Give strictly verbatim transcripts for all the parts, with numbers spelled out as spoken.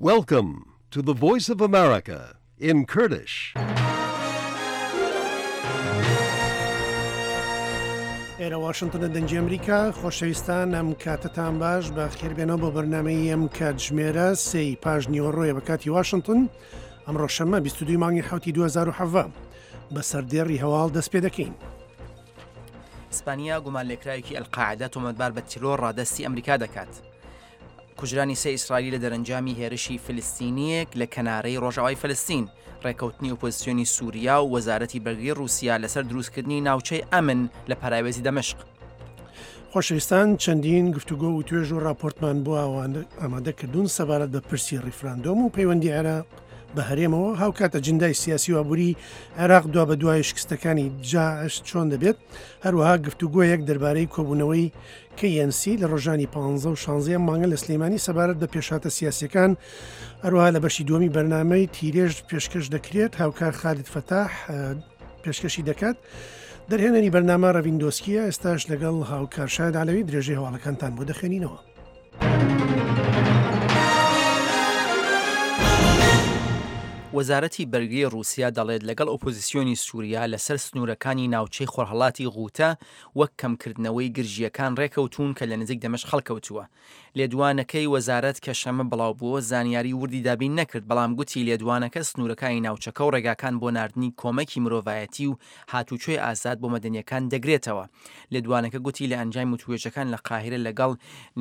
Welcome to the Voice of America in Kurdish. ئێرە واشنتنە دەنگی ئەمریکا. خۆشەویستان، ئەم کاتەتان باش، بە خێربێنەوە بۆ بەرنامەی ئەم کاتژمێرە سێی پاش نیوەڕۆیە بە کاتی واشنتن. ئەمڕۆ شەممە بیست و دوو مانگی حوتی دوو هەزار و حەڤدە. بە سەردێڕی هەواڵ دەست پێ دەکەین. ئیسپانیا گومانلێکراوێکی ئەلقاعدە تۆمەتبار بە تیرۆر ڕادەستی ئەمریکا دەکات. کوژرانی سێ ئیسرائیلی لە دەرەنجامی هێرشی فلستینیەک لە کەنارەی ڕۆژاوای فلستین. ڕێکەوتنی ئۆپۆزیسیۆنی سووریا و وەزارەتی بەرگری ڕووسیا لەسەر دروستکردنی ناوچەی ئەمن لە پەراوێزی دەمشق. خۆشەویستان، چەندین گفتوگۆ و توێژ و راپۆرتمان بۆ ئامادەکردوون سەبارەت بە پرسی ڕیفراندۆم و پەیوەندی عێراق بە هەرێمەوە، هاوکات ئەجندای سیاسی و ئابووری عێراق دوا بە دوای شکستەکانی داعش چۆن دەبێت. هەروەها گفتوگۆیەک دەربارەی کۆبوونەوەی K N C لە ڕۆژانی پانزە و شانزە مانگە لە سلێمانی سەبارەت بە پێشهاتە سیاسیەکان. هەروەها لە بەشی دووەمی بەرنامەی تیرێژ پێشکەش دەکرێت، هاوکار خالید فەتاح پێشکەشی دەکات. دەرهێنەری بەرنامە ڕەڤیندۆسکیە. ئێستاش لەگەڵ هاوکار شاید عەلەوی درێژەی هەواڵەکانتان بۆ دەخوێنینەوە. وەزارەتی بەرگری ڕووسیا دەڵێت لەگەڵ ئۆپۆزیسیۆنی سووریا لەسەر سنوورەکانی ناوچەی خۆرهەڵاتی غوتە وەک کەمکردنەوەی گرژیەکان ڕێکەوتون کە لە نزیک دەمشق هەڵکەوتووە. لێدوانەکەی وەزارەت کە شەمە بڵاو بووە زانیاری وردی دابین نەکرد، بەڵام گوتی لێدوانەکە سنوورەکانی ناوچەکە و ڕێگاکان بۆ ناردنی کۆمەکی مرۆڤایەتی و هاتوچۆی ئازاد بۆ مەدەنیەکان دەگرێتەوە. لێدوانەکە گوتی لە ئەنجامی وتوێژەکان لە قاهیرە لەگەڵ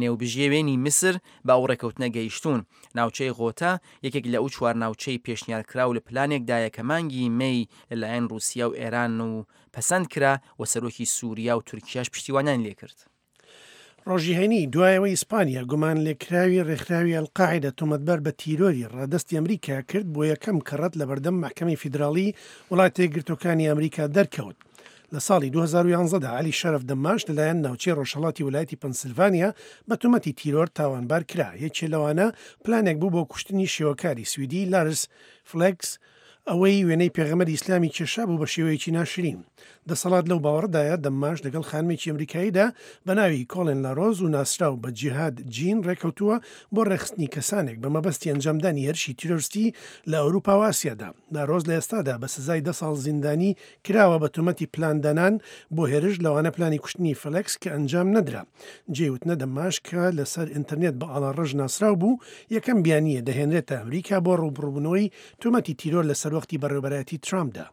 نێوبژێوێنی میسر بە ئەو ڕێکەوتنە گەیشتوون. ناوچەی غۆتە یەکێک لە ئەو چوار ناوچەی پێشنیارکراو لە پلانێکدایە کە مانگی مەی لەلایەن رووسیا و ئێران و پەسەند کرا و سەرۆکی سووریا و تورکیاش پشتیوانیان لێکرد. ڕۆژی هەینی دوایەوەی ئیسپانیا گومان لێکراوی ڕێکخراوی ئەلقاعیدە تۆمەتبار بە تیرۆری ڕادەستی ئەمریکا کرد، بۆ یەکەم کەڕەت لە بەردەم مەحکەمەی فیدراڵی وڵاتە یەکگرتووەکانی ئەمریکا دەرکەوت. لە ساڵی دوو هەزار و یانزە دا علی شەرف دەماش لەلایەن ناوچەی ڕۆژهەڵاتی ویلایەتی پەنسلڤانیا بە تۆمەتی تیرۆر تاوانبار کرا. یەکێ لەوانە پلانێک بوو بۆ کوشتنی شێوەکاری سویدی لارس فلێکس، ئەوەی وێنەی پێغەمبەری ئیسلامی کێشا بوو بە شێوەیەکی ناشرین. دەسەڵات لەو باوەڕدایە دەماش لەگەڵ خانمێکی ئەمریکاییدا بە ناوی کۆڵێن لارۆز و ناسراو بە جیهاد جین ڕێکەوتووە بۆ ڕێکخستنی کەسانێک بە مەبەستی ئەنجامدانی هێرشی تیرۆرستی لە ئەوروپا و ئاسیادا. لارۆز لە ئێستادا بە سزای دە ساڵ زیندانی کراوە بە تۆمەتی پلاندانان بۆ هێرش، لەوانە پلانی کوشتنی فلێکس کە ئەنجام نەدرا. جێی وتنە دەماش کە لەسەر ئینتەرنێت بە ئاڵا ڕەش ناسراو بوو، یەکەم بیانیە دەهێنرێتە ئەمریکا بۆ ڕووبڕووبوونەوەی تۆمەتی تیرۆر لە سەروەختی بەڕێوەبەرایەتی ترامپدا.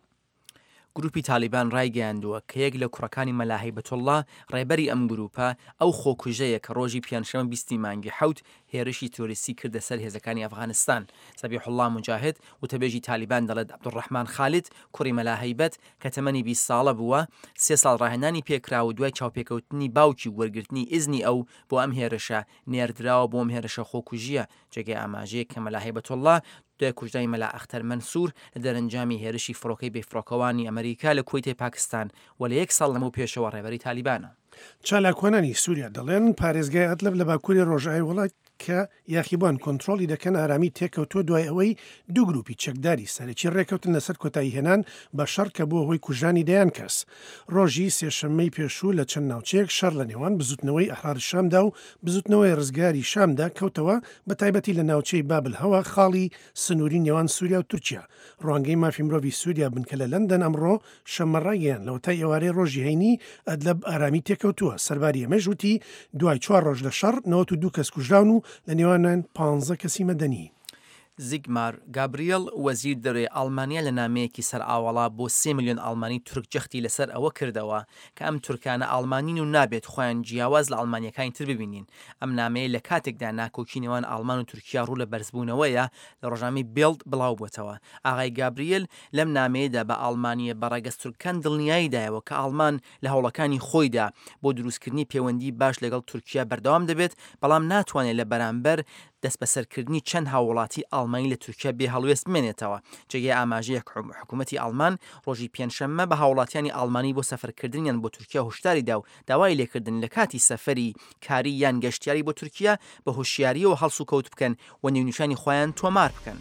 گروپی تالیبان ڕایگەیاندووە کە یەک لە کوڕەکانی مەلا هەیبەتوڵڵا، ڕێبەری ئەم گروپە، ئەو خۆکوژەیە کە ڕۆژی پێنجشەممە بیستی مانگی حەوت هێرشی تیرۆریستی کردە سەر هێزەکانی ئەفغانستان. زەبیحوڵڵا موجاهد، وتەبێژی تالیبان، دەڵێت عەبدولڕەحمان خالد، کوڕی مەلا هەیبەت، کە تەمەنی بیست ساڵە بووە، سێ ساڵ ڕاهێنانی پێکرا و دوای چاوپێکەوتنی باوکی و وەرگرتنی ئیزنی ئەو بۆ ئەم هێرشە نێردراوە بۆ ئەم هێرشە خۆکوژیە. جێگەی ئاماژەیە کە مەلا هەیبەتوڵڵا دوای کوژرانی مەلا ئەختەر مەنسوور لە دەرەنجامی هێرشی فڕۆکەی بێفڕۆکەوانی ئەمریکا لە کوەیتی پاکستان و لە یەک ساڵ لەمەو پێشەوە ڕێبەری تالیبانە. چالاکوانانی سووریا دەڵێن پارێزگای ئەدلب لە باکووری ڕۆژئاوای وڵات کە یاخیبوان کۆنترۆڵی دەکەن ئارامی تێکەوتووە، دوای ئەوەی دوو گروپی چەکداری سەرەکی ڕێکەوتن لەسەر کۆتایی هێنان بە شەڕ کە بووە هۆی کوژرانی دەیان کەس. ڕۆژی سێشەممەی پێشوو لە چەند ناوچەیەک شەڕ لە نێوان بزوتنەوەی ئەحرار شامدا و بزوتنەوەی ڕزگاری شامدا کەوتەوە، بە تایبەتی لە ناوچەی بابل هەوا، خاڵی سنووری نێوان سووریا و تورکیا. ڕوانگەی مافی مرۆڤی سووریا بنکە لە لەندەن ئەمڕۆ شەممە ڕایگەیاند لەوەتای ئێوارەی ڕۆژی هەینی ئەدلەب ئارامی تێکەوتووە. سەرباری ئەمەش وتی دوای چوار ڕۆژ لە شەڕ نەوەت و دوو کەس کوژراون و لە نێوانیان پانزە کەسی مەدەنی. زیگمار گابریل، وەزیر دەرەوەی ئەڵمانیا، لە نامەیەکی سەر ئاوەڵا بۆ سێ ملیۆن ئەڵمانی تورک جەختی لەسەر ئەوە کردەوە کە ئەم تورکانە ئەڵمانین و نابێت خۆیان جیاواز لە ئەڵمانیەکانی تر ببینین. ئەم نامەیە لە کاتێکدا ناکۆکی نێوان ئەڵمان و تورکیا ڕوو لە بەرزبوونەوەیە لە ڕۆژنامەی بێڵد بڵاو بووەتەوە. ئاغای گابریل لەم نامەیەدا بە ئەڵمانیە بە ڕەگەز تورکان دڵنیایی دایەوە کە ئەڵمان لە هەوڵەکانی خۆیدا بۆ دروستکردنی پەیوەندی باش لەگەڵ تورکیا بەردەوام دەبێت، بەڵام ناتوانێت لە بەرامبەر دەستبەسەرکردنی چەند هاوڵاتی ئەڵمانی لە تورکیا بێ هەڵوێست بمێنێتەوە. جێگەی ئاماژەیە حکوومەتی ئەڵمان ڕۆژی پێنجشەممە بە هاوڵاتیانی ئەڵمانی بۆ سەفەرکردنیان بۆ تورکیا هۆشداری دا و داوای لێکردن لە کاتی سەفەری کاری یان گەشتیاری بۆ تورکیا بە هۆشیاریەوە هەڵسوکەوت بکەن و نێونیشانی خۆیان تۆمار بکەن.